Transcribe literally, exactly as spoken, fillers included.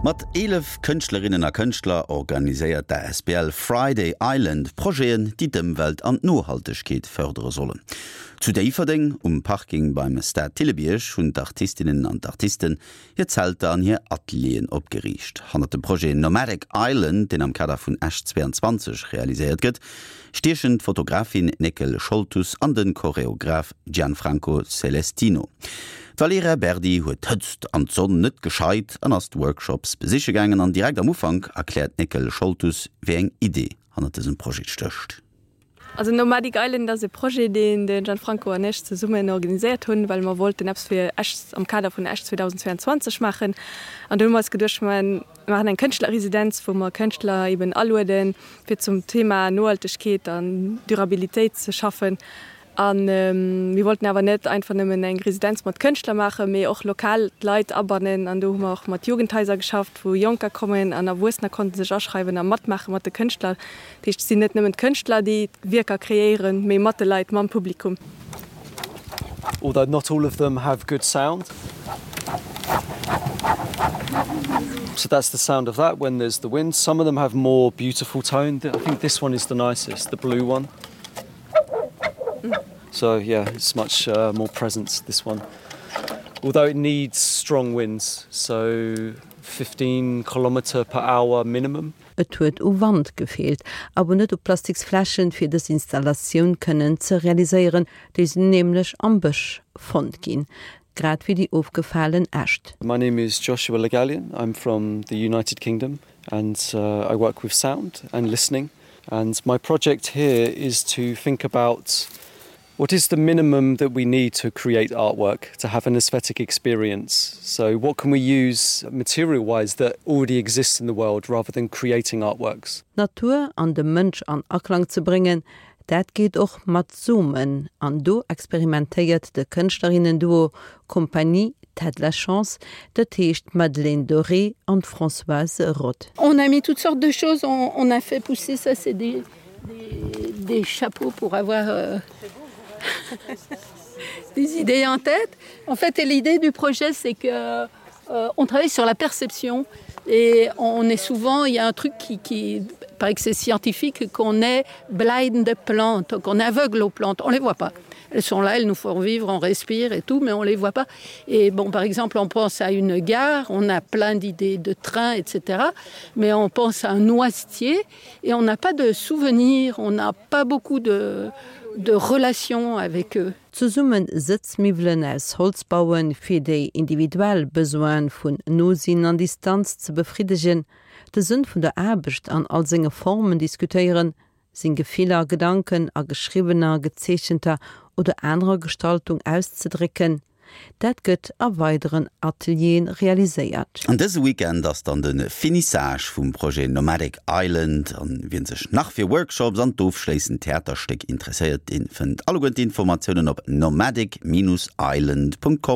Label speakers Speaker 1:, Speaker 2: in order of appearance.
Speaker 1: Mat eelef Kënschtlerinnen a Kënschtler organiséiert d'A S B L Friday Island Projeten, déi d'Ëmwelt an d'Nohaltegkeet fërdere sollen. Zu Déifferdeng um Parking beim Stade Thillebierg hunn d'Artistinnen an d'Artisten hir Zelter an hir Atelieren opgeriicht. Hannert dem Projet Nomadic Island, deen am Kader vun Esch zwéianzwanzeg realiséiert gëtt, stiechen d'Fotografin Néckel Scholtus an de Choreograf Gianfranco Celestino. D'Valerija Berdi huet d'Hëtzt an d'Sonn net gescheit an ass d'Workshops besiche gaangen an direkt am Ufank erkläert d'Néckel Scholtus, wéi eng Idee hannert dësem Projet stécht.
Speaker 2: Also Nomadic Island ass e Projet, deen de Gianfranco an ech zesummen organiséiert hunn, well mer wollten eppes fir Esch am Kader vun Esch zweedausendzwéianzwanzeg maachen. An do hu mer eis geduecht, mer maachen eng Kënschtlerresidenz, wou mer Kënschtler eben alueden, fir zum Thema Nohaltegkeet an Durabilitéit ze schaffen. An mir wollten awer net einfach nëmmen eng Residenz mat Kënschtler maachen, mee och lokal d'Leit abannen. An do hu mer och mat Jugendhaiser geschafft, wou Jonker kommen an Erwuessener konnte sech aschreiwen a matmaache mat de Kënschtler. Dat heescht, et sinn net nëmmen d'Kënschtler, déi d'Wierker kreéieren, mee mat de Leit, mam Publikum.
Speaker 3: Although not all of them have good sound. So that's the sound of that when there's the wind. Some of them have more beautiful tone. I think this one is the nicest, the blue one. So yeah, it's much uh, more present, this one. Although it needs strong winds, so fifteen kilometer per hour minimum.
Speaker 4: Et huet u Wand gefeelt, awer net u Plastiksfläschen, fir dës Installatioun kënnen ze realiséieren, déi sinn nämlech am Bësch fonnt ginn, grad wéi déi ofgefalen Äscht.
Speaker 3: My name is Joshua Le Gallienne. I'm from the United Kingdom and uh, I work with sound and listening. And my project here is to think about what is the minimum that we need to create artwork, to have an aesthetic experience. So what can we use material-wise that already exists in the world rather than creating artworks?
Speaker 4: D'Natur an de Mënsch an Aklang ze bréngen, dat geet och mat Somen, an do experimentéiert de Kënschtlerinnen-Duo Compagnie T'as de la chance, dat heescht Madeleine Doré an Françoise Roth.
Speaker 5: On a mis toutes sortes de choses, on, on a fait pousser ça, c'est des, des, des chapeaux pour avoir euh, des idées en tête. En fait, l'idée du projet, c'est que euh, on travaille sur la perception et on est souvent, il y a un truc qui, qui paraît que c'est scientifique, qu'on est blind de plantes, qu'on est aveugle aux plantes, on les voit pas. Elles sont là, elles nous font vivre, on respire et tout, mais on les voit pas. Et bon, par exemple, on pense à une gare, on a plein d'idées de train, et cetera. Mais on pense à un noisetier et on n'a pas de souvenirs, on n'a pas beaucoup de, de relations avec eux.
Speaker 4: Zesumme Sëtzmiwwelen aus Holz bauen, fir déi individuell Besoine vun Nosinn an Distanz ze befriddegen, de Sënn vun der Aarbecht an all senge Formen diskutéieren, seng Gefiller, Gedanken a geschriwwener, gezeechenter oder anerer Gestaltung auszedrécken, dat gëtt a weideren Atelieren realiséiert.
Speaker 1: An dëse Weekend ass dann de Finissage vum Projet Nomadic Island an wien sech nach fir Workshops an d'ofschléissend Theaterstéck interesséiert, dee fënnt alleguer d'Informatiounen op nomadic Bindestrich island Punkt com.